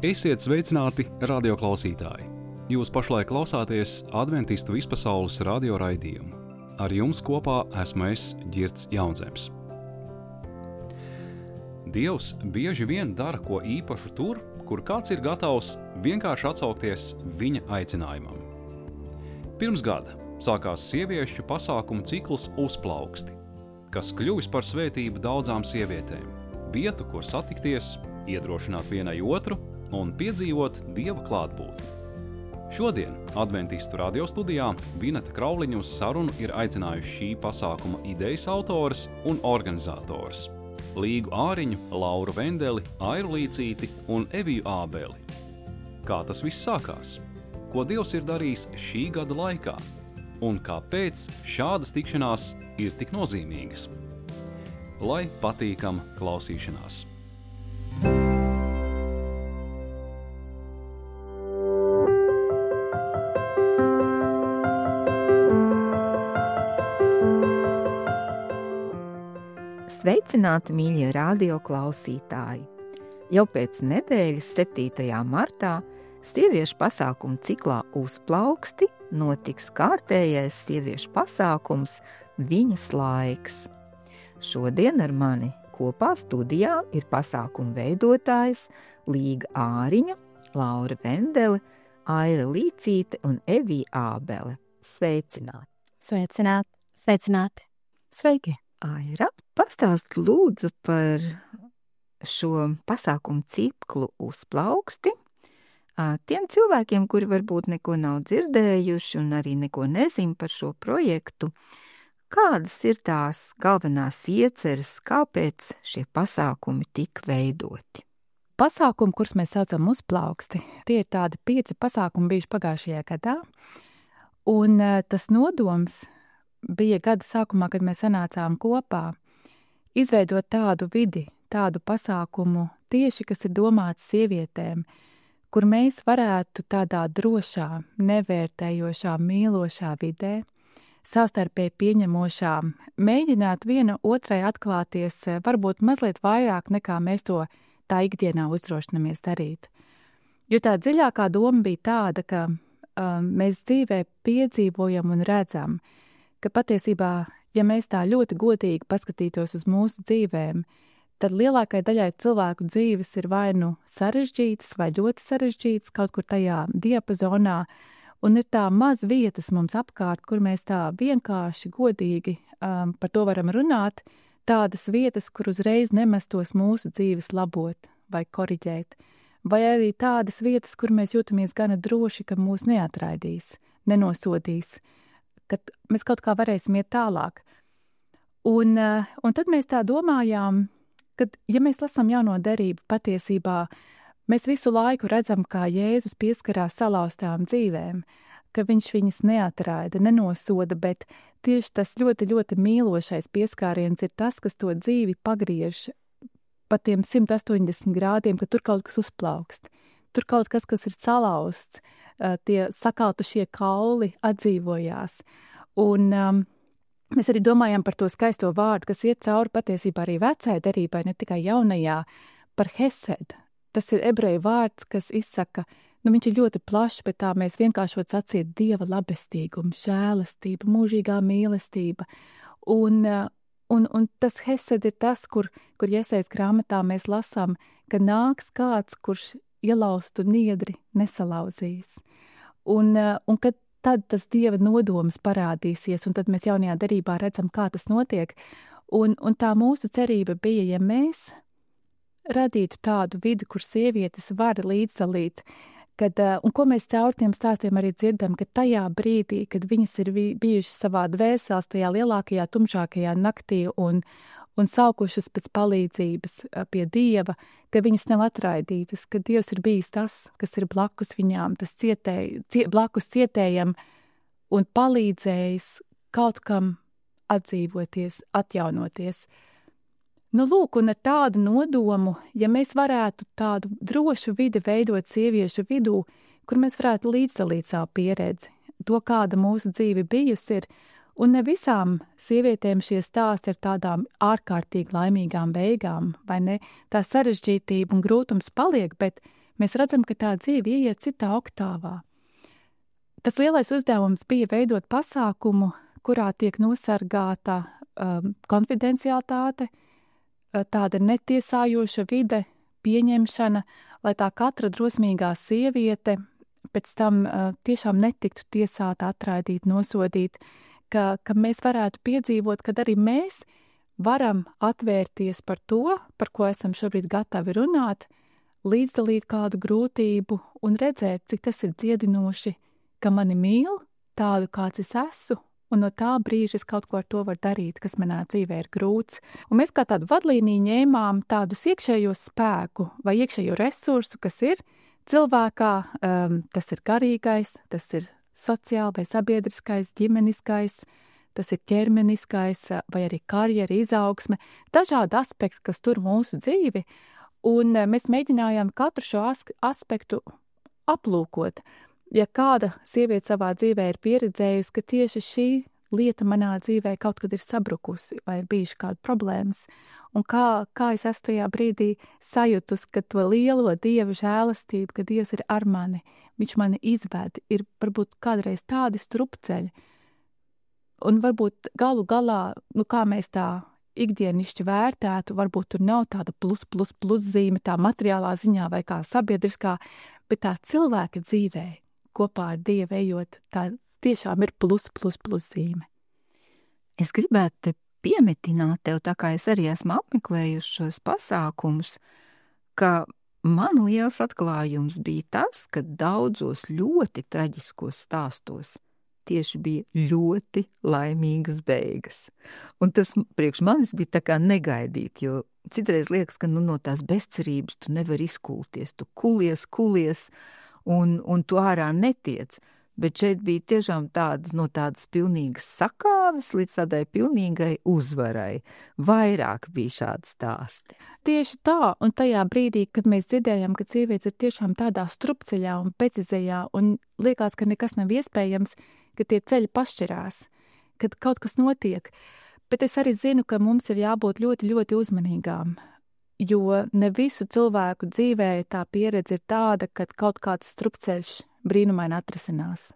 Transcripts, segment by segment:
Esiet sveicināti, radioklausītāji! Jūs pašlaik klausāties Adventistu vispasaules radio raidījumu. Ar jums kopā esmu es, Ģirds Jaunzems. Dievs bieži vien dara ko īpašu tur, kur kāds ir gatavs vienkārši atsaukties viņa aicinājumam. Pirms gada sākās sieviešu pasākumu cikls Uzplauksti, kas kļuvis par svētību daudzām sievietēm, vietu, kur satikties, iedrošināt vienai otru un piedzīvot Dieva klātbūtni. Šodien Adventistu radio studijā Vineta Krauliņa uz sarunu ir aicinājuši šī pasākuma idejas autors un organizators Līgu Āriņu, Lauru Vendeli, Airu Līcīti un Eviju Ābeli. Kā tas viss sākās? Ko Dievs ir darījis šī gada laikā? Un kāpēc šādas tikšanās ir tik nozīmīgas? Lai patīkam klausīšanās! Sveicināti, mīļie radio klausītāji! Jau pēc nedēļas 7. martā sieviešu pasākumu ciklā Uzplauksti notiks kārtējais sieviešu pasākums Viņas laiks. Šodien ar mani kopā studijā ir pasākumu veidotājs Līga Āriņa, Laura Vendele, Aira Līcīte un Evija Ābele. Sveicināti! Sveicināti! Sveicināti! Sveiki! Aira, pastāst lūdzu par šo pasākumu ciklu Uzplauksti tiem cilvēkiem, kuri varbūt neko nav dzirdējuši un arī neko nezin par šo projektu. Kādas ir tās galvenās ieceres, kāpēc šie pasākumi tika veidoti? Pasākumi, kurus mēs saucam Uzplauksti, tie ir tādi 5 pasākumi bijuši pagājušajā gadā, un tas nodoms bija gada sākumā, kad mēs sanācām kopā, izveidot tādu vidi, tādu pasākumu tieši, kas ir domāts sievietēm, kur mēs varētu tādā drošā, nevērtējošā, mīlošā vidē, savstarpēji pieņemošā, mēģināt viena otrai atklāties varbūt mazliet vairāk, nekā mēs to tā ikdienā uzdrošinamies darīt. Jo tā dziļākā doma bija tāda, ka mēs dzīvē piedzīvojam un redzam, ka patiesībā, ja mēs tā ļoti godīgi paskatītos uz mūsu dzīvēm, tad lielākai daļai cilvēku dzīves ir vai nu sarežģītas vai ļoti sarežģītas kaut kur tajā diapazonā, un ir tā maz vietas mums apkārt, kur mēs tā vienkārši godīgi par to varam runāt, tādas vietas, kur uzreiz nemestos mūsu dzīves labot vai koriģēt, vai arī tādas vietas, kur mēs jūtamies gana droši, ka mūs neatraidīs, nenosodīs, kad mēs kaut kā varēsim iet tālāk. Un tad mēs tā domājām, ka, ja mēs lasām jauno derību, patiesībā mēs visu laiku redzam, kā Jēzus pieskarās salauztām dzīvēm, ka viņš viņas neatraida, nenosoda, bet tieši tas ļoti, ļoti mīlošais pieskāriens ir tas, kas to dzīvi pagriež pa tiem 180 grādiem, ka tur kaut kas uzplaukst. Tur kaut kas ir salauzts, tie sakaltušie kauli atdzīvojās. Un mēs arī domājam par to skaisto vārdu, kas iet cauri patiesībā arī vecai derībai, ne tikai jaunajā, par hesed. Tas ir ebreju vārds, kas izsaka, viņš ir ļoti plašs, bet tā mēs vienkāršot sacīt Dieva labestīgums, žēlastība, mūžīgā mīlestība. Un tas hesed ir tas, kur Jesajas grāmatā mēs lasām, ka nāks kāds, kurš ielaustu niedri nesalauzīs. Un kad tad tas Dieva nodoms parādīsies, un tad mēs jaunajā derībā redzam, kā tas notiek. Un tā mūsu cerība bija, ja mēs radītu tādu vidi, kur sievietes var līdzdalīt, un ko mēs caur tiem stāstiem arī dzirdam, ka tajā brīdī, kad viņas ir bijušas savā dvēseles, tajā lielākajā, tumšākajā naktī un saukušas pēc palīdzības pie Dieva, ka viņas nav atraidītas, ka Dievs ir bijis tas, kas ir blakus viņām, tas blakus cietējam un palīdzējis kaut kam atdzīvoties, atjaunoties. Lūk, un ar tādu nodomu, ja mēs varētu tādu drošu vidi veidot sieviešu vidū, kur mēs varētu līdzdalīt savu pieredzi, to, kāda mūsu dzīve bijusi ir, un ne visām sievietēm šie stāsti ir tādām ārkārtīgi laimīgām beigām, vai ne? Tā sarežģītība un grūtums paliek, bet mēs redzam, ka tā dzīve ieiet citā oktāvā. Tas lielais uzdevums bija veidot pasākumu, kurā tiek nosargāta konfidencialitāte, tāda netiesājoša vide, pieņemšana, lai tā katra drosmīgā sieviete pēc tam tiešām netiktu tiesāta, atraidīta, nosodīta, ka mēs varētu piedzīvot, kad arī mēs varam atvērties par to, par ko esam šobrīd gatavi runāt, līdzdalīt kādu grūtību un redzēt, cik tas ir dziedinoši, ka mani mīl tādu, kāds es esmu, un no tā brīža es kaut ko ar to varu darīt, kas manā dzīvē ir grūts. Un mēs kā tādu vadlīniju ņēmām tādus iekšējos spēku vai iekšējo resursu, kas ir cilvēkā, tas ir garīgais, tas ir sociāli vai sabiedriskais, ģimeniskais, tas ir ķermeniskais vai arī karjera, izaugsme, dažādi aspekti, kas tur mūsu dzīvi, un mēs mēģinājām katru šo aspektu aplūkot. Ja kāda sieviete savā dzīvē ir pieredzējusi, ka tieši šī lieta manā dzīvē kaut kad ir sabrukusi vai ir bijuši kādi problēmas, un kā es esmu tajā brīdī sajutus, ka to lielo Dieva žēlastību, ka Dievs ir ar mani, viņš mani izved, ir varbūt kādreiz tādi strupceļi, un varbūt galu galā, kā mēs tā ikdienišķi vērtētu, varbūt tur nav tāda plus zīme, tā materiālā ziņā vai kā sabiedriskā, bet tā cilvēka dzīvē, kopā ar Dievu ejot, tā tiešām ir plus zīme. Es gribētu te piemetināt tev, tā kā es arī esmu apmeklējuši šos pasākumus, ka man liels atklājums bija tas, ka daudzos ļoti traģiskos stāstos tieši bija ļoti laimīgas beigas. Un tas priekš manis bija tā kā negaidīt, jo citreiz liekas, ka no tās bezcerības tu nevar izkulties, tu kulies, un tu ārā netiec. Bet šeit bija tiešām tādas pilnīgas sakāves līdz tādai pilnīgai uzvarai. Vairāk bija šādi stāsti. Tieši tā, un tajā brīdī, kad mēs dzirdējām, ka sievietes ir tiešām tādā strupceļā un pecizējā, un liekas, ka nekas nav iespējams, ka tie ceļi pašķirās, kad kaut kas notiek. Bet es arī zinu, ka mums ir jābūt ļoti, ļoti uzmanīgām, jo ne visu cilvēku dzīvē tā pieredze ir tāda, ka kaut kāds strupceļš brīnumaini atrisinās.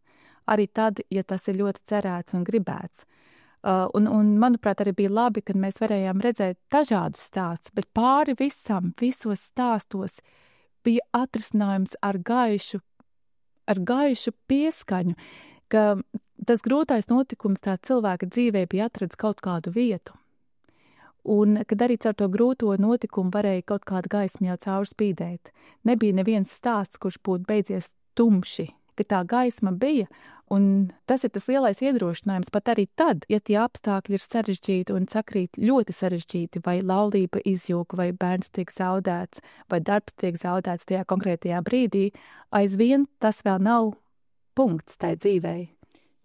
Arī tad, ja tas ir ļoti cerēts un gribēts. Un manuprāt, arī bija labi, kad mēs varējām redzēt dažādus stāstus, bet pāri visam, visos stāstos bija atrisinājums ar gaišu pieskaņu, ka tas grūtais notikums tā cilvēka dzīvē bija atradis kaut kādu vietu. Un kad arī caur to grūto notikumu varēja kaut kādu gaismu jau caurspīdēt. Nebija neviens stāsts, kurš būtu beidzies tumši, ka tā gaisma bija, un tas ir tas lielais iedrošinājums pat arī tad, ja tie apstākļi ir sarežģīti un sakrīt ļoti sarežģīti, vai laulība izjūg, vai bērns tiek zaudēts, vai darbs tiek zaudēts tajā konkrētajā brīdī, aizvien tas vēl nav punkts tai dzīvei.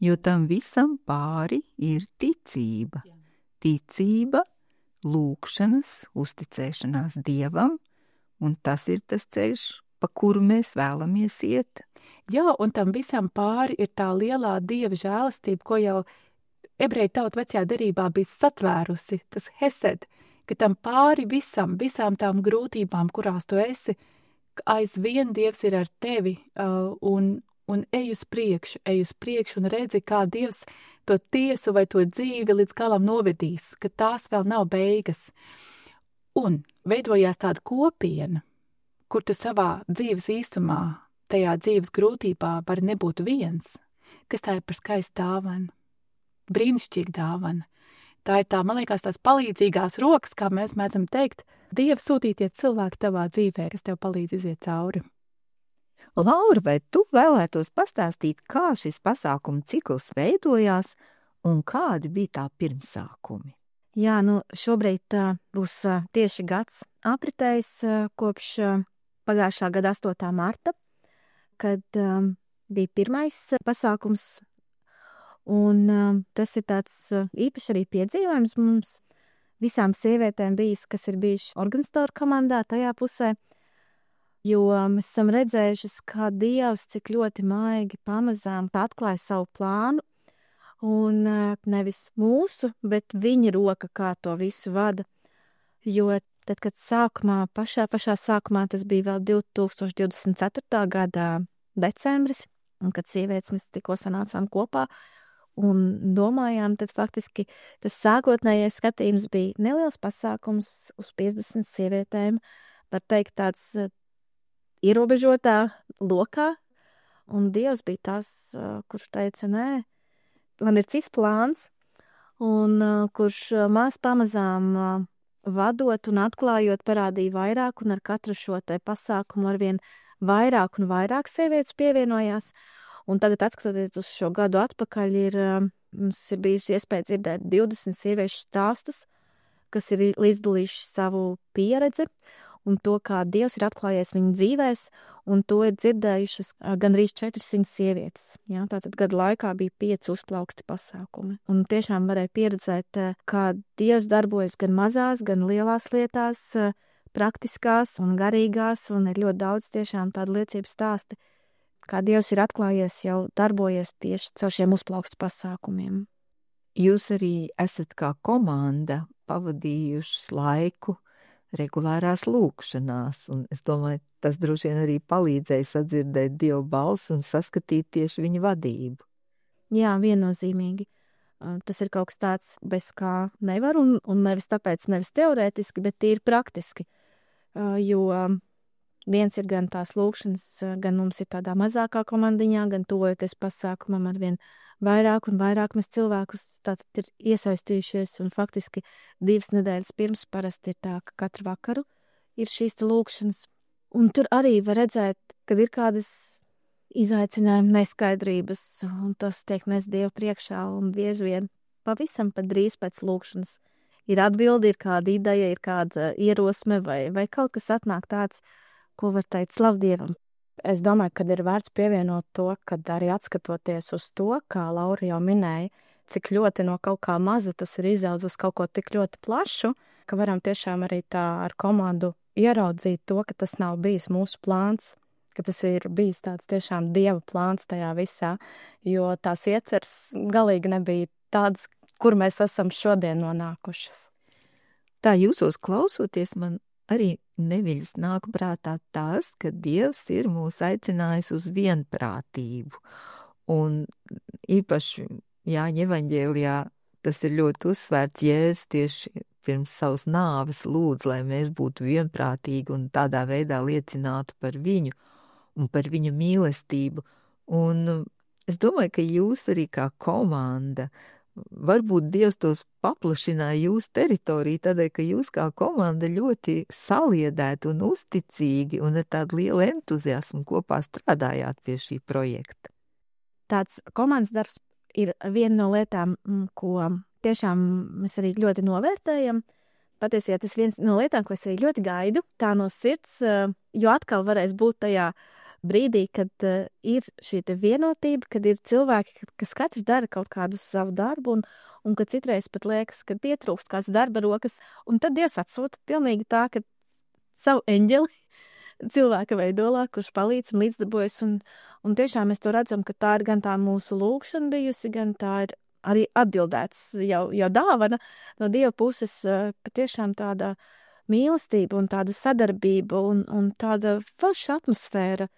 Jo tam visam pāri ir ticība. Jā. Ticība, lūkšanas, uzticēšanās Dievam, un tas ir tas ceļš, pa kuru mēs vēlamies iet. Jā, un tam visam pāri ir tā lielā Dieva žēlastība, ko jau ebreju tauta vecajā derībā bija satvērusi, tas hesed, ka tam pāri visām tām grūtībām, kurās tu esi, aizvien Dievs ir ar tevi, un ej uz priekšu un redzi, kā Dievs to tiesu vai to dzīvi līdz galam novedīs, ka tās vēl nav beigas. Un veidojās tāda kopiena, kur tu savā dzīves īstumā, tajā dzīves grūtībā vari nebūt viens, kas tā ir par skaistu dāvanu, brīnišķīga dāvana. Tā ir tā, man liekas, tās palīdzīgās rokas, kā mēs mēdzam teikt, Dieva sūtītie cilvēki tavā dzīvē, kas tev palīdz iziet cauri. Laura, vai tu vēlētos pastāstīt, kā šis pasākumu cikls veidojās un kādi bija tā pirmsākumi? Jā, šobrīd būs tieši gads apritējis kopš pagājušā gada 8. marta, kad bija pirmais pasākums, un tas ir tāds īpaši arī piedzīvojums mums visām sievietēm bijis, kas ir bijuši organizatoru komandā tajā pusē, jo mēs esam redzējušas, kā Dievs cik ļoti maigi pamazām atklāja savu plānu, un nevis mūsu, bet viņa roka, kā to visu vada. Jo tad, kad pašā sākumā, tas bija vēl 2024. gada decembris, un kad sievietes mēs tikko sanācām kopā un domājām, tad faktiski tas sākotnējais skatījums bija neliels pasākums uz 50 sievietēm, var teikt tāds ierobežotā lokā, un Dievs bija tas, kurš teica, nē, man ir cits plāns, un kurš maz pamazām vadot un atklājot parādīja vairāk, un ar katru šo te pasākumu arvien vairāk un vairāk sievietes pievienojās. Un tagad, atskatoties uz šo gadu atpakaļ, mums ir bijusi iespēja dzirdēt 20 sieviešu stāstus, kas ir līdzdalījuši savu pieredzi un to, kā Dievs ir atklājies viņu dzīvēs, un to ir dzirdējušas gandrīz 400 sievietes. Jā, tātad gadu laikā bija 5 uzplauksti pasākumi. Un tiešām varēja pieredzēt, kā Dievs darbojas gan mazās, gan lielās lietās, praktiskās un garīgās, un ir ļoti daudz tiešām tādu liecību stāsti, kā Dievs ir atklājies, jau darbojies tieši caur šiem uzplaukstu pasākumiem. Jūs arī esat kā komanda pavadījušas laiku regulārās lūkšanās, un es domāju, tas droši vien arī palīdzēja sadzirdēt Dieva balsi un saskatīt tieši viņa vadību. Jā, viennozīmīgi. Tas ir kaut kas tāds, bez kā nevar, un nevis tāpēc, nevis teorētiski, bet tīri praktiski. Jo viens ir gan tās lūkšanas, gan mums ir tādā mazākā komandiņā, gan tuvojoties pasākumam arvien vairāk un vairāk mēs cilvēkus tātad ir iesaistījušies, un faktiski 2 nedēļas pirms parasti ir tā, ka katru vakaru ir šīs lūkšanas. Un tur arī var redzēt, kad ir kādas izaicinājumi, neskaidrības, un tas tiek nes Dievu priekšā, un bieži vien pavisam pat drīz pēc lūkšanas ir atbildi, ir kāda ideja, ir kāda ierosme, vai kaut kas atnāk tāds, ko var teikt slavu Dievam. Es domāju, ka ir vērts pievienot to, kad arī atskatoties uz to, kā Laura jau minēja, cik ļoti no kaut kā maza tas ir izaudzis uz kaut ko tik ļoti plašu, ka varam tiešām arī tā ar komandu ieraudzīt to, ka tas nav bijis mūsu plāns, ka tas ir bijis tāds tiešām Dieva plāns tajā visā, jo tās ieceres galīgi nebija tādas, kur mēs esam šodien nonākušas. Tā jūsos klausoties, man arī neviļus nāk prātā tas, ka Dievs ir mūs aicinājis uz vienprātību. Un īpaši Jāņa evaņģēlijā tas ir ļoti uzsvērts. Jēzus tieši pirms savas nāves lūdz, lai mēs būtu vienprātīgi un tādā veidā liecinātu par viņu un par viņa mīlestību. Un es domāju, ka jūs arī kā komanda, varbūt Dievs tos paplašināja jūsu teritoriju, tādēļ, ka jūs kā komanda ļoti saliedēti un uzticīgi un ar tādu lielu entuziasmu kopā strādājāt pie šī projekta. Tāds komandas darbs ir viena no lietām, ko tiešām mēs arī ļoti novērtējam. Patiesībā tas viens no lietām, ko es arī ļoti gaidu, tā no sirds, jo atkal varēs būt tajā brīdī, kad ir šī vienotība, kad ir cilvēki, kas katrs dara kaut kādu savu darbu, un kad citreiz pat liekas, ka pietrūkst kāds darba rokas, un tad Dievs atsūta pilnīgi tā, ka savu eņģeli cilvēka veidolā, kurš palīdz un līdzdarbojas, un tiešām mēs to redzam, ka tā ir gan tā mūsu lūkšana bijusi, gan tā ir arī atbildēts jau dāvana no Dieva puses, patiešām tāda mīlestība un tāda sadarbība un tāda forša atmosfēra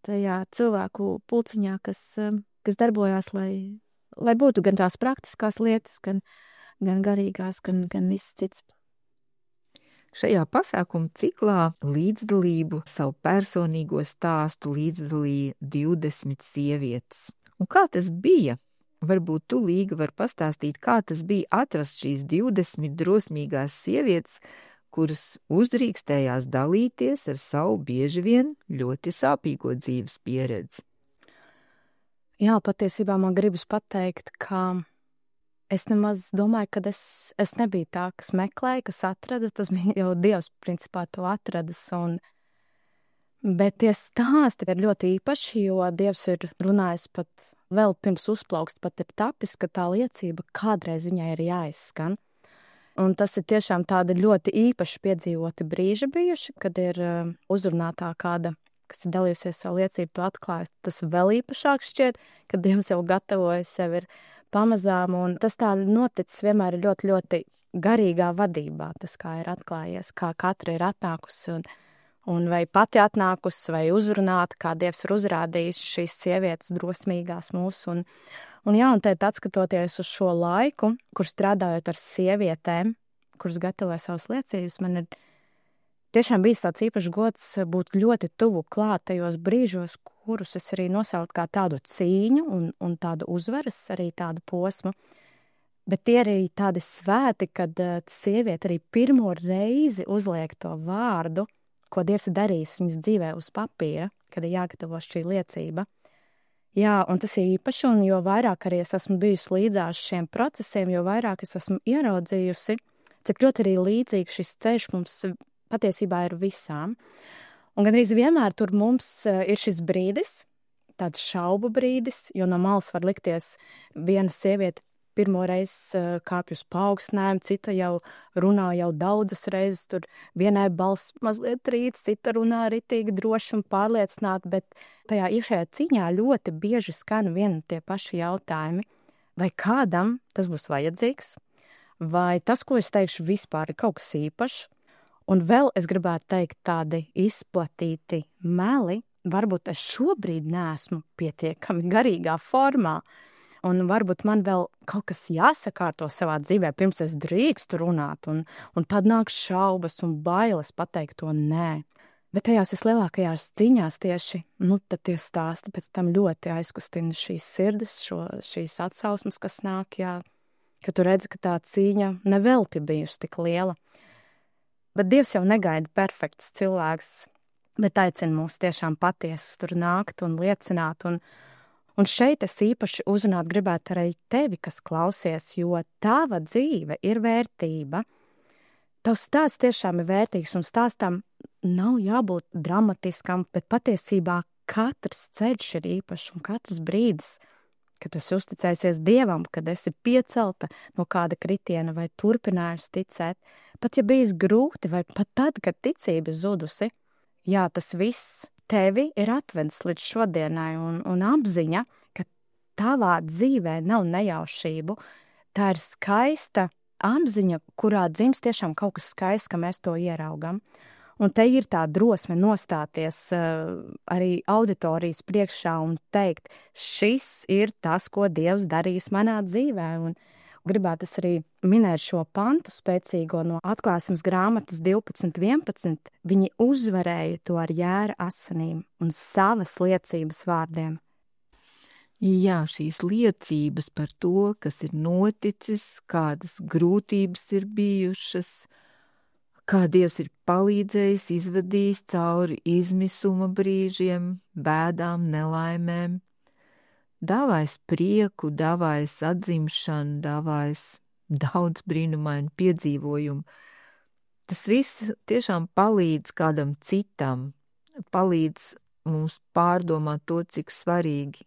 tajā cilvēku pulciņā, kas darbojās, lai būtu gan tās praktiskās lietas, gan garīgās, gan viss cits. Šajā pasākuma ciklā līdzdalību savu personīgo stāstu līdzdalīja 20 sievietes. Un kā tas bija? Varbūt tu, Līga, var pastāstīt, kā tas bija atrast šīs 20 drosmīgās sievietes, kuras uzdrīkstējās dalīties ar savu bieži vien ļoti sāpīgo dzīves pieredzi. Jā, patiesībā man gribas pateikt, ka es nemaz domāju, ka es nebiju tā, kas meklēja, kas atrada, tas bija jau Dievs principā to atradis, bet tie stāsti ir ļoti īpaši, jo Dievs ir runājis pat vēl pirms uzplaukst, pat ir tapis, ka tā liecība kādreiz viņai ir jāizskan. Un tas ir tiešām tādi ļoti īpaši piedzīvoti brīži bijuši, kad ir uzrunātā kāda, kas ir dalījusies savu liecību, to atklājusi. Tas vēl īpašāk šķiet, kad Dievs jau gatavoja sevi ir pamazām, un tas tā noticis vienmēr ir ļoti, ļoti garīgā vadībā, tas kā ir atklājies, kā katra ir atnākusi, un vai pati atnākusi, vai uzrunāta, kā Dievs ir uzrādījis šīs sievietes drosmīgās mūsu, un tēt atskatoties uz šo laiku, kur strādājot ar sievietēm, kuras gatavoja savas liecības, man ir tiešām bijis tāds īpašs gods būt ļoti tuvu klāt tajos brīžos, kurus es arī nosaucu kā tādu cīņu un tādu uzvaras, arī tādu posmu. Bet tie arī tādi svēti, kad sieviete arī pirmo reizi uzliek to vārdu, ko Dievs ir darījis viņas dzīvē uz papīra, kad ir jāgatavo šī liecība. Jā, un tas ir īpaši, un jo vairāk arī es esmu bijusi līdzās šiem procesiem, jo vairāk es esmu ieraudzījusi, cik ļoti arī līdzīgi šis ceļš mums patiesībā ir visām. Un gandrīz vienmēr tur mums ir šis brīdis, tāds šaubu brīdis, jo no malas var likties viena sieviete pirmo reizi kāpj uz paaugstinājumu, cita jau runā jau daudzas reizes, tur vienai balss mazliet trīc, cita runā ritīgi droši un pārliecināti, bet tajā iekšējā cīņā ļoti bieži skan vieni tie paši jautājumi. Vai kādam tas būs vajadzīgs? Vai tas, ko es teikšu, vispār ir kaut kas īpašs? Un vēl es gribētu teikt tādi izplatīti meli, varbūt es šobrīd neesmu pietiekami garīgā formā, un varbūt man vēl kaut kas jāsakārto savā dzīvē, pirms es drīkstu runāt, un tad nāk šaubas un bailes pateikt to nē. Bet tajās vislielākajās cīņās tieši, tad tie stāsti pēc tam ļoti aizkustina šīs sirdis, šīs atsauksmes, kas nāk, jā, ka tu redzi, ka tā cīņa nevelti bijusi tik liela. Bet Dievs jau negaida perfektus cilvēkus, bet aicina mūs tiešām patiesi tur nākt un liecināt. Un šeit es īpaši uzrunāt gribētu arī tevi, kas klausies, jo tava dzīve ir vērtība. Tavs stāsts tiešām ir vērtīgs, un stāstam nav jābūt dramatiskam, bet patiesībā katrs ceļš ir īpašs un katrs brīdis, kad tu esi uzticējusies Dievam, kad esi piecelta no kāda kritiena vai turpinājusi ticēt, pat ja bijis grūti vai pat tad, kad ticība zudusi, jā, tas viss tevi ir atvedis līdz šodienai un apziņa, ka tavā dzīvē nav nejaušību, tā ir skaista apziņa, kurā dzimst tiešām kaut kas skaists, ka mēs to ieraugam. Un te ir tā drosme nostāties arī auditorijas priekšā un teikt, šis ir tas, ko Dievs darīs manā dzīvē. Un gribētu arī minēt šo pantu spēcīgo no Atklāsmes grāmatas 12.11. Viņi uzvarēja to ar jēra asinīm un savas liecības vārdiem. Jā, šīs liecības par to, kas ir noticis, kādas grūtības ir bijušas, kā Dievs ir palīdzējis, izvadījis cauri izmisuma brīžiem, bēdām, nelaimēm, dāvājis prieku, dāvājis atzimšanu, dāvājis daudz brīnumainu piedzīvojumu. Tas viss tiešām palīdz kādam citam, palīdz mums pārdomāt to, cik svarīgi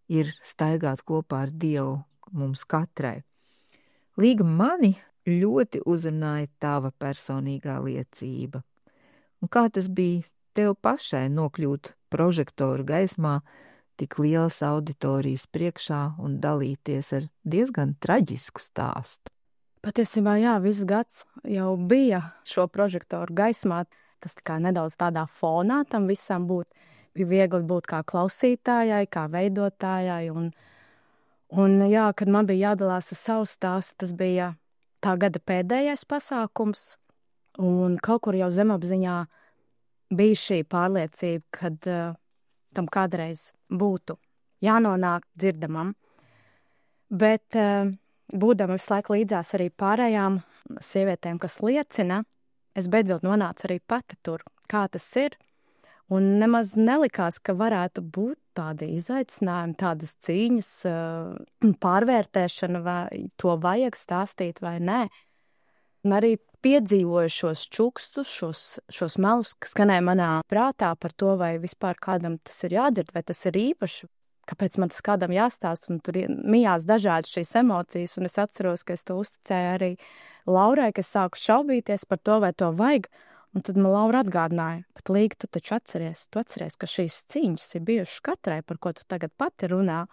ir staigāt kopā ar Dievu mums katrai. Līga mani ļoti uzrunāja tava personīgā liecība. Un kā tas bija tev pašai nokļūt prožektoru gaismā, tik lielas auditorijas priekšā un dalīties ar diezgan traģisku stāstu? Patiesībā, jā, viss gads jau bija šo prožektoru gaismā, tas tā kā nedaudz tādā fonā tam visam būt. Bija viegli būt kā klausītājai, kā veidotājai, un jā, kad man bija jādalās ar savu stāstu, tas bija tā gada pēdējais pasākums, un kaut kur jau zemapziņā bija šī pārliecība, kad tam kādreiz būtu jānonāk dzirdamam. Bet būdama visu laiku līdzās arī pārējām sievietēm, kas liecina, es beidzot nonācu arī pati tur, kā tas ir, un nemaz nelikās, ka varētu būt tādi izaicinājumi, tādas cīņas, pārvērtēšana, vai to vajag stāstīt vai nē. Un arī piedzīvoju šos čukstus, šos melus, kas skanēja manā prātā par to, vai vispār kādam tas ir jādzird, vai tas ir īpaši, kāpēc man tas kādam jāstāst, un tur mijās dažādas šīs emocijas, un es atceros, ka es to uzticēju arī Laurai, ka es sāku šaubīties par to, vai to vajag. Un tad man Laura atgādināja, bet Līga, tu taču atceries, ka šīs cīņas ir bijušas katrai, par ko tu tagad pati runā.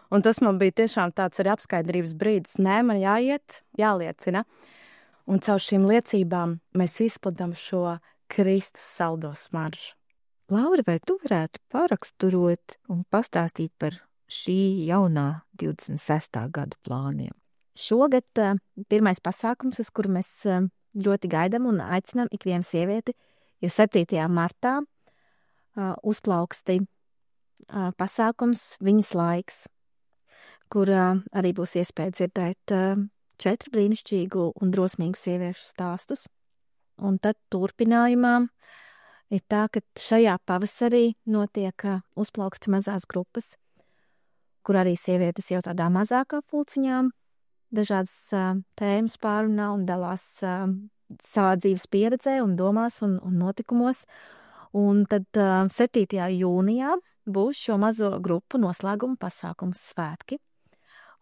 Un tas man bija tiešām tāds arī apskaidrības brīdis. Nē, man jāiet, jāliecina. Un caur šīm liecībām mēs izplatām šo Kristus saldo smaržu. Laura, vai tu varētu paraksturot un pastāstīt par šī jaunā 26. gada plāniem? Šogad pirmais pasākums, uz kuru mēs ļoti gaidām un aicinām ikvienu sievieti, ir 7. martā uzplauksti pasākums Viņas laiks, kur arī būs iespēja dzirdēt 4 brīnišķīgu un drosmīgu sieviešu stāstus. Un tad turpinājumā ir tā, ka šajā pavasarī notiek uzplauksti mazās grupas, kur arī sievietes jau tādā mazākā pulciņām dažādas tēmas pārunā un dalās savā dzīves pieredzē un domās un notikumos. Un tad 7. jūnijā būs šo mazo grupu noslēguma pasākums svētki.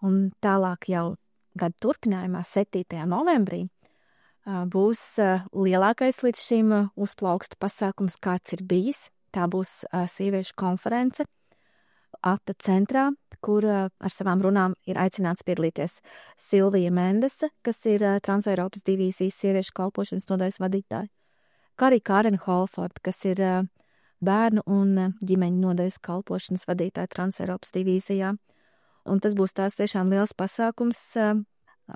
Un tālāk jau gada turpinājumā 7. novembrī būs lielākais līdz šim uzplauksta pasākums, kāds ir bijis. Tā būs sieviešu konference Ata centrā, kur ar savām runām ir aicināts piedalīties Silvija Mendese, kas ir Transeiropas divīzijas sieviešu kalpošanas nodaļas vadītāja, kā arī Karen Holford, kas ir bērnu un ģimeņu nodaļas kalpošanas vadītāja Transeiropas divīzijā. Un tas būs tās tiešām liels pasākums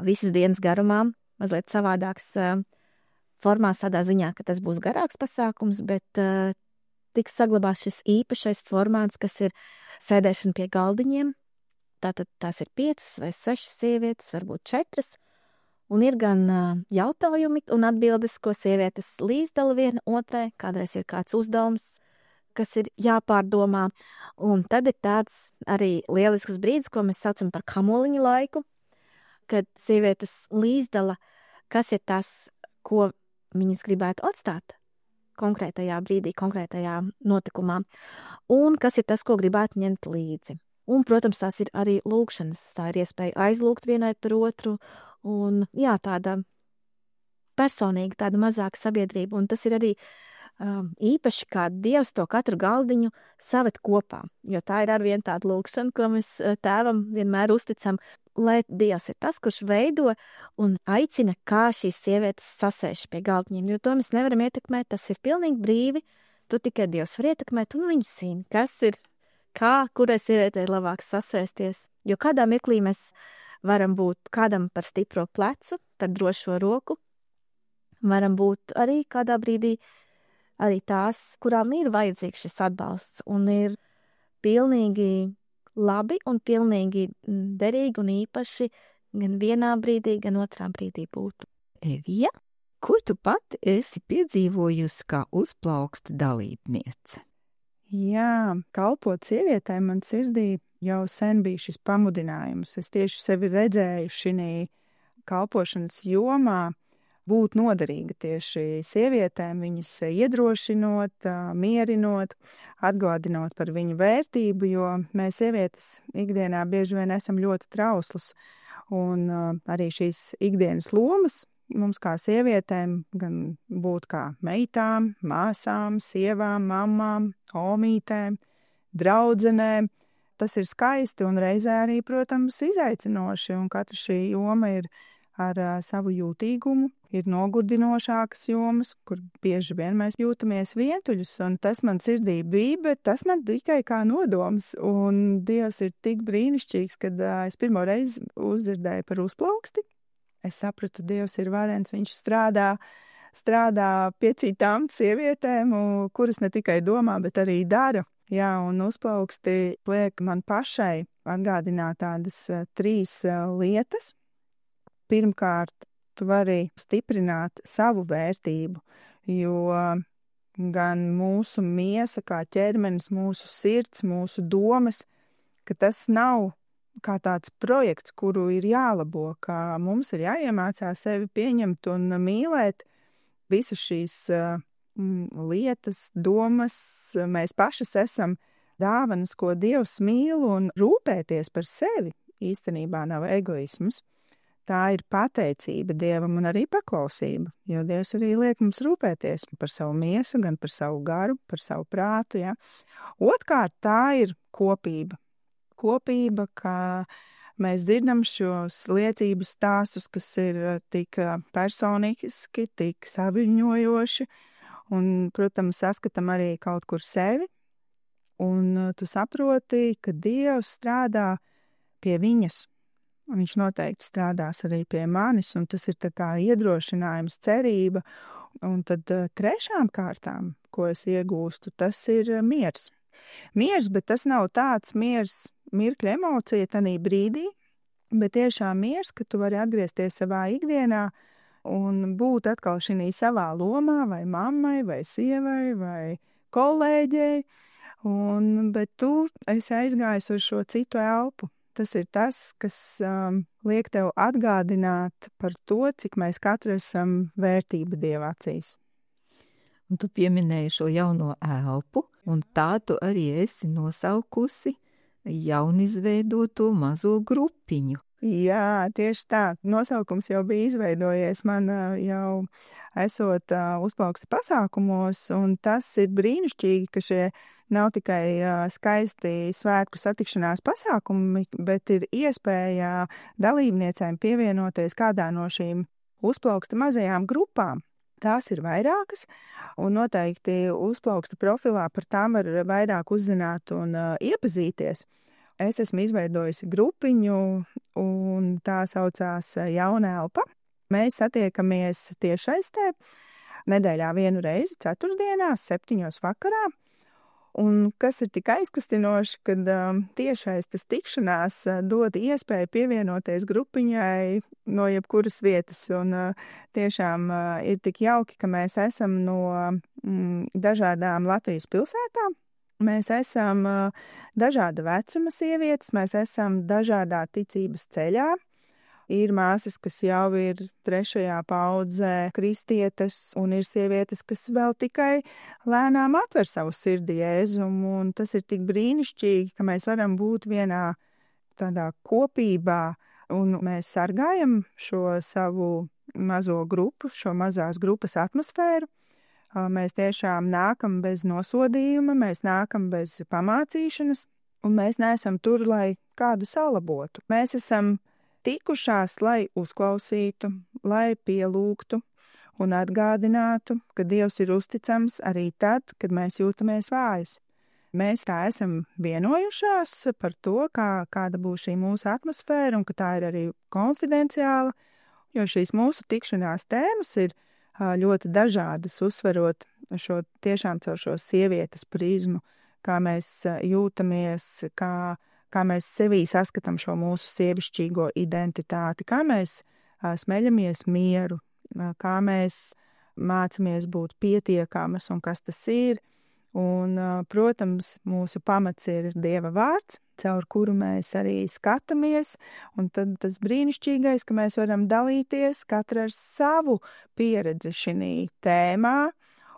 visas dienas garumā, mazliet savādāks formās tādā ziņā, ka tas būs garāks pasākums, bet tiks saglabās šis īpašais formāts, kas ir sēdēšana pie galdiņiem. Tātad tās ir 5 vai 6 sievietes, varbūt 4. Un ir gan jautājumi un atbildes, ko sievietes līdzdala viena otrai, kādreiz ir kāds uzdevums, kas ir jāpārdomā. Un tad ir tāds arī lielisks brīdis, ko mēs saucam par kamoliņu laiku, kad sievietes līdzdala, kas ir tas, ko viņas gribētu atstāt konkrētajā brīdī, konkrētajā notikumā, un kas ir tas, ko gribētu ņemt līdzi. Un, protams, tās ir arī lūgšanas, tā ir iespēja aizlūgt vienai par otru, un jā, tāda personīga, tāda mazāka sabiedrība, un tas ir arī īpaši, kā Dievs to katru galdiņu saved kopā, jo tā ir arvien tāda lūgšana, ko mēs tēvam vienmēr uzticam, lai Dievs ir tas, kurš veido un aicina, kā šīs sievietes sasēž pie galdiņiem, jo to mēs nevaram ietekmēt, tas ir pilnīgi brīvi, to tikai Dievs var ietekmēt, un viņš zina, kas ir, kā, kurai sievietei ir labāk sasēsties, jo kādā mirklī mēs varam būt kādam par stipro plecu, par drošo roku, varam būt arī kādā brīdī arī tās, kurām ir vajadzīgs šis atbalsts, un ir pilnīgi labi un pilnīgi derīgi un īpaši gan vienā brīdī, gan otrā brīdī būt. Evija, ko tu pat esi piedzīvojusi kā uzplauksta dalībniece? Jā, kalpot sievietēm man sirdī jau sen bija šis pamudinājums. Es tieši sevi redzēju šī kalpošanas jomā, būt noderīga tieši sievietēm, viņas iedrošinot, mierinot, atgādinot par viņu vērtību, jo mēs sievietes ikdienā bieži vien esam ļoti trauslas, un arī šīs ikdienas lomas mums kā sievietēm gan būt kā meitām, māsām, sievām, mammām, omītēm, draudzenēm. Tas ir skaisti un reizē arī, protams, izaicinoši, un katra šī joma ir ar savu jūtīgumu, ir nogurdinošākas jomas, kur bieži vien mēs jūtamies vientuļus, un tas man sirdī bija, bet tas man tikai kā nodoms, un Dievs ir tik brīnišķīgs, kad es pirmo reizi uzdzirdēju par uzplauksti. Es sapratu, Dievs ir varens, viņš strādā pie citām sievietēm, kuras ne tikai domā, bet arī dara. Jā, un uzplauksti liek man pašai atgādināt tādas 3 lietas. Pirmkārt, tu vari stiprināt savu vērtību, jo gan mūsu miesa, kā ķermenis, mūsu sirds, mūsu domas, ka tas nav kā tāds projekts, kuru ir jālabo, ka mums ir jāiemācās sevi pieņemt un mīlēt visas šīs lietas, domas. Mēs pašas esam dāvanas, ko Dievs mīl, un rūpēties par sevi īstenībā nav egoisms. Tā ir pateicība Dievam un arī paklausība, jo Dievs arī liek mums rūpēties par savu miesu, gan par savu garu, par savu prātu. Ja? Otrkārt, tā ir kopība. kopība, ka mēs dzirdam šos liecību stāstus, kas ir tik personiski, tik saviņojoši, un, protams, saskatam arī kaut kur sevi, un tu saproti, ka Dievs strādā pie viņas. Viņš noteikti strādās arī pie manis, un tas ir tā kā iedrošinājums, cerība, un tad trešām kārtām, ko es iegūstu, tas ir miers. Miers, bet tas nav tāds miers, mirkļa emocija tanī brīdī, bet tiešām miers, ka tu vari atgriezties savā ikdienā un būt atkal šī savā lomā, vai mammai, vai sievai, vai kolēģei, bet tu esi aizgājis uz šo citu elpu. Tas ir tas, kas liek tev atgādināt par to, cik mēs katru esam vērtība Dieva acīs. Un tu pieminēji šo jauno elpu, un tā tu arī esi nosaukusi jaunizveidoto mazo grupiņu. Jā, tieši tā. Nosaukums jau bija izveidojies man jau esot uzplauksta pasākumos, un tas ir brīnišķīgi, ka šie nav tikai skaisti svētku satikšanās pasākumi, bet ir iespēja dalībniecēm pievienoties kādā no šīm uzplauksta mazajām grupām. Tās ir vairākas, un noteikti uzplauksta profilā par tām var vairāk uzzināt un iepazīties. Es esmu izveidojusi grupiņu, un tā saucās Jauna elpa. Mēs satiekamies tiešsaistē nedēļā vienu reizi, ceturtdienās, 7:00 vakarā. Un kas ir tik aizkustinoši, kad tiešsaistes tikšanās dod iespēju pievienoties grupiņai no jebkuras vietas. Un tiešām ir tik jauki, ka mēs esam no dažādām Latvijas pilsētām. Mēs esam dažāda vecuma sievietes, mēs esam dažādā ticības ceļā. Ir māsas, kas jau ir 3. paudzē kristietes, un ir sievietes, kas vēl tikai lēnām atver savu sirdi Jēzumu, un tas ir tik brīnišķīgi, ka mēs varam būt vienā tādā kopībā, un mēs sargājam šo savu mazo grupu, šo mazās grupas atmosfēru. Mēs tiešām nākam bez nosodījuma, mēs nākam bez pamācīšanas, un mēs neesam tur, lai kādu salabotu. Mēs esam tikušās, lai uzklausītu, lai pielūgtu un atgādinātu, ka Dievs ir uzticams arī tad, kad mēs jūtamies vājas. Mēs tā esam vienojušās par to, kāda būs šī mūsu atmosfēra un ka tā ir arī konfidenciāla, jo šīs mūsu tikšanās tēmas ir ļoti dažādas, uzsverot šo tiešām caur šo sievietes prizmu, kā mēs jūtamies, kā mēs sevī saskatām šo mūsu sievišķīgo identitāti, kā mēs smeļamies mieru, kā mēs mācamies būt pietiekamas un kas tas ir. Un, protams, mūsu pamats ir Dieva vārds, caur kuru mēs arī skatāmies, un tad tas brīnišķīgais, ka mēs varam dalīties katra ar savu pieredzi šī tēmā,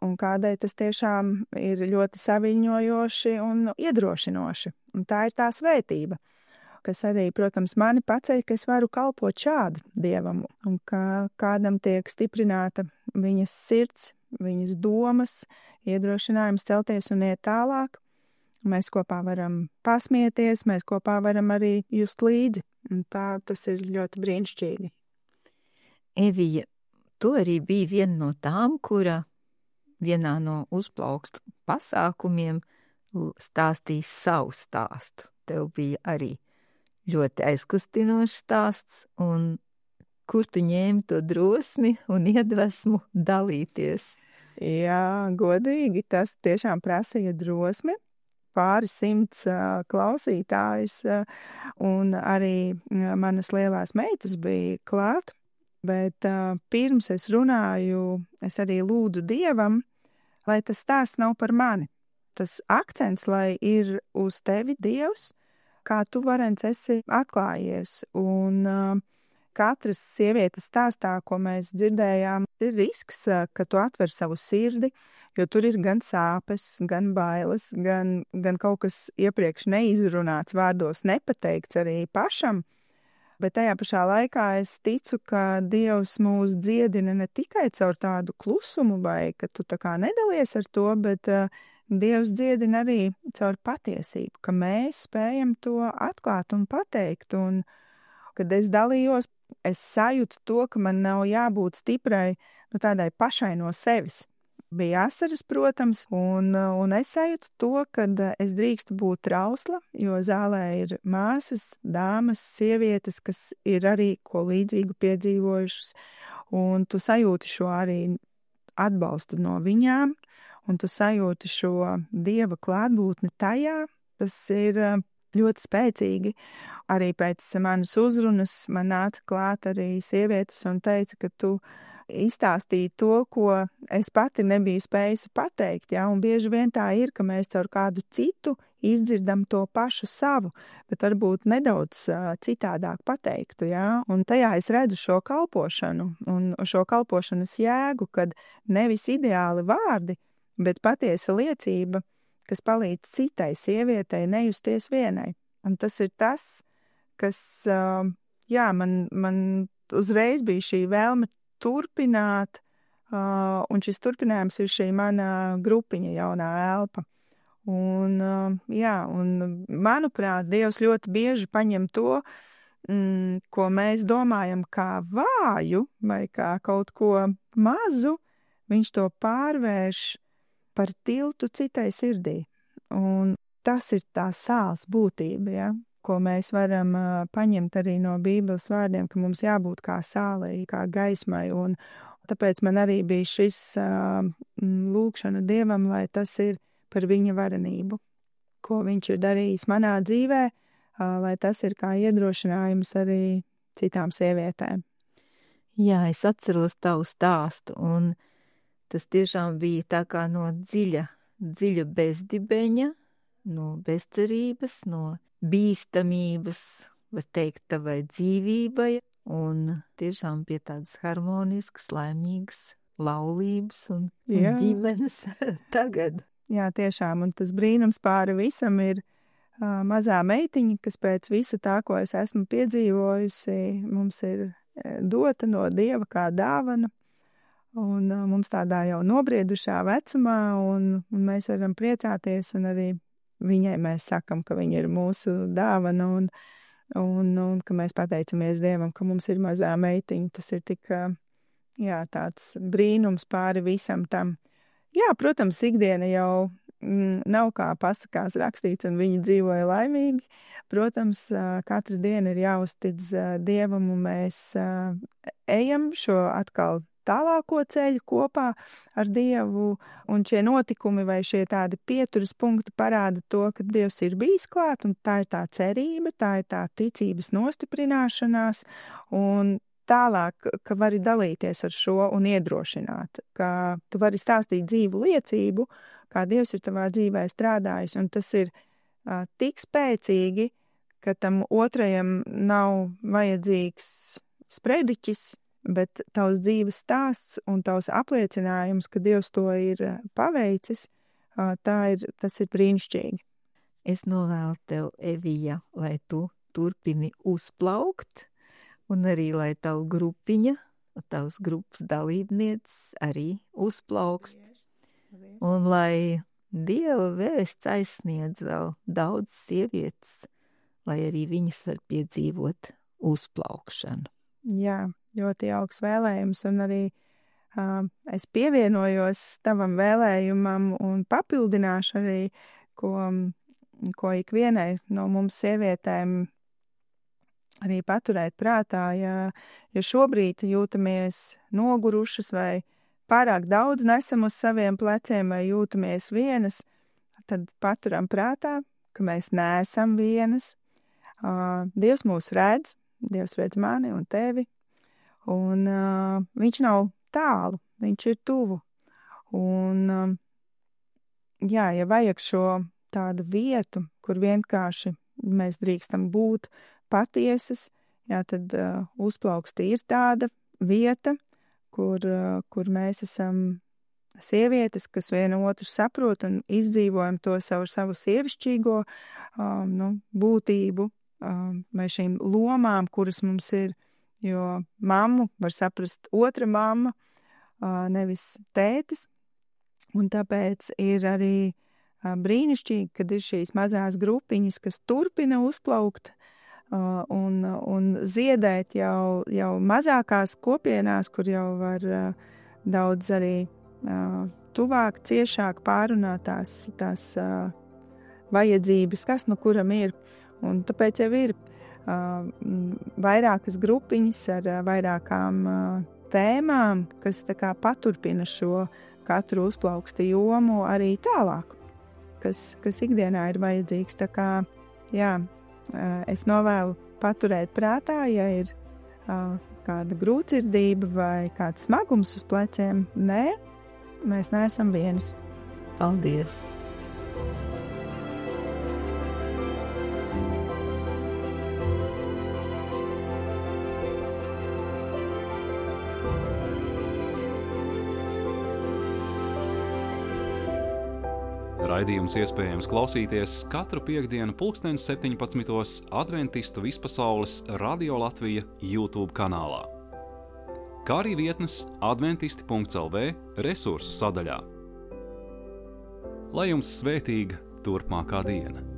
un kādai tas tiešām ir ļoti saviņojoši un iedrošinoši. Un tā ir tā svētība, kas arī, protams, mani paceļ, ka es varu kalpot šādi Dievam, un ka kādam tiek stiprināta viņas sirds, viņas domas, iedrošinājums celties un iet tālāk. Mēs kopā varam pasmieties, mēs kopā varam arī just līdzi, un tā tas ir ļoti brīnišķīgi. Evija, tu arī biji viena no tām, kura vienā no uzplaukstu pasākumiem stāstīs savu stāstu. Tev bija arī ļoti aizkustinošs stāsts, un kur tu ņēmi to drosmi un iedvesmu dalīties? Jā, godīgi, tas tiešām prasīja drosmi. Pāris simts klausītājus, un arī manas lielās meitas bija klāt. Bet pirms es runāju, es arī lūdzu Dievam, lai tas stāsts nav par mani. Tas akcents, lai ir uz tevi, Dievs, kā tu varens esi atklājies. Un katras sievietes stāstā, ko mēs dzirdējām, ir risks, ka tu atver savu sirdi, jo tur ir gan sāpes, gan bailes, gan kaut kas iepriekš neizrunāts vārdos, nepateikts arī pašam. Bet tajā pašā laikā es ticu, ka Dievs mūs dziedina ne tikai caur tādu klusumu, vai ka tu tā kā nedalies ar to, bet Dievs dziedina arī caur patiesību, ka mēs spējam to atklāt un pateikt. Un, kad es dalījos, es sajūtu to, ka man nav jābūt stiprai, tādai pašai no sevis. Bija asaras, protams, un es sajūtu to, ka es drīkstu būt trausla, jo zālē ir māsas, dāmas, sievietes, kas ir arī ko līdzīgu piedzīvojušas, un tu sajūti šo arī atbalstu no viņām, un tu sajūti šo Dieva klātbūtni tajā. Tas ir ļoti spēcīgi. Arī pēc manas uzrunas man nāca klāt arī sievietes un teica, ka tu izstāstīji to, ko es pati nebiju spējusi pateikt. Ja? Un bieži vien tā ir, ka mēs caur kādu citu izdzirdam to pašu savu, bet varbūt nedaudz citādāk pateiktu. Ja? Un tajā es redzu šo kalpošanu un šo kalpošanas jēgu, kad nevis ideāli vārdi, bet patiesa liecība, kas palīdz citai sievietei nejusties vienai. Un tas ir tas, kas, man uzreiz bija šī vēlme turpināt, un šis turpinājums ir šī mana grupiņa Jaunā elpa. Un manuprāt, Dievs ļoti bieži paņem to, ko mēs domājam kā vāju vai kā kaut ko mazu, viņš to pārvērš par tiltu citai sirdī. Un tas ir tā sāls būtība, ja? Ko mēs varam paņemt arī no Bībeles vārdiem, ka mums jābūt kā sālei, kā gaismai. Un tāpēc man arī bija šis lūgšana Dievam, lai tas ir par viņa varenību, ko viņš ir darījis manā dzīvē, lai tas ir kā iedrošinājums arī citām sievietēm. Jā, es atceros tavu stāstu, un tas tiešām bija tā kā no dziļa bezdibeņa, no bezcerības, no bīstamības, var teikt, tavai dzīvībai, un tiešām pie tādas harmoniskas, laimīgas laulības un ģimenes tagad. Jā, tiešām, un tas brīnums pāri visam ir mazā meitiņa, kas pēc visa tā, ko es esmu piedzīvojusi, mums ir dota no Dieva kā dāvana. Un mums tādā jau nobriedušā vecumā, un mēs varam priecāties, un arī viņai mēs sakam, ka viņa ir mūsu dāvana, un ka mēs pateicamies Dievam, ka mums ir mazā meitiņa. Tas ir tik, tāds brīnums pāri visam tam. Jā, protams, ikdiena jau nav kā pasakās rakstīts, un viņi dzīvoja laimīgi. Protams, katra diena ir jāuztic Dievam, un mēs ejam šo atkal tālāko ceļu kopā ar Dievu, un šie notikumi vai šie tādi pieturas punkti parāda to, ka Dievs ir bijis klāt, un tā ir tā cerība, tā ir tā ticības nostiprināšanās, un tālāk, ka vari dalīties ar šo un iedrošināt, ka tu vari stāstīt dzīvu liecību, kā Dievs ir tavā dzīvē strādājis, un tas ir tik spēcīgi, ka tam otrajam nav vajadzīgs sprediķis, bet tavs dzīves stāsts un tavs apliecinājums, ka Dievs to ir paveicis, tas ir brīnišķīgi. Es novēlu tev, Evija, lai tu turpini uzplaukt, un arī lai tavu grupiņa, tavs grupas dalībnieces arī uzplaukst. Un lai Dieva vēsts aizsniedz vēl daudz sievietes, lai arī viņas var piedzīvot uzplaukšanu. Jā, ļoti jauks vēlējums, un arī es pievienojos tavam vēlējumam un papildināšu arī, ko ikvienai no mums sievietēm arī paturēt prātā, ja šobrīd jūtamies nogurušas vai pārāk daudz nesam uz saviem pleciem vai jūtamies vienas, tad paturam prātā, ka mēs neesam vienas. Dievs mūs redz, Dievs redz mani un tevi, un viņš nav tālu, viņš ir tuvu. Un, ja vajag šo tādu vietu, kur vienkārši mēs drīkstam būt patiesas, tad uzplauksti ir tāda vieta, kur mēs esam sievietes, kas vienu otru saprot un izdzīvojam to savu sievišķīgo būtību, vai šīm lomām, kuras mums ir, jo mammu var saprast otra mamma, nevis tētis, un tāpēc ir arī brīnišķīgi, kad ir šīs mazās grupiņas, kas turpina uzplaukt un ziedēt jau mazākās kopienās, kur jau var daudz arī tuvāk, ciešāk pārunāt tās vajadzības, kas no kuram ir. Un tāpēc jau ir vairākas grupiņas ar vairākām tēmām, kas tā kā paturpina šo katru uzplauksta jomu arī tālāk, kas ikdienā ir vajadzīgs. Tā kā, jā, es novēlu paturēt prātā, ja ir kāda grūtsirdība vai kāds smagums uz pleciem. Nē, mēs neesam vienas. Paldies! Raidījums iespējams klausīties katru piektdienu 17:00 Adventistu vispasaules Radio Latvija YouTube kanālā, kā arī vietnes adventisti.lv resursu sadaļā. Lai jums svētīga turpmākā diena!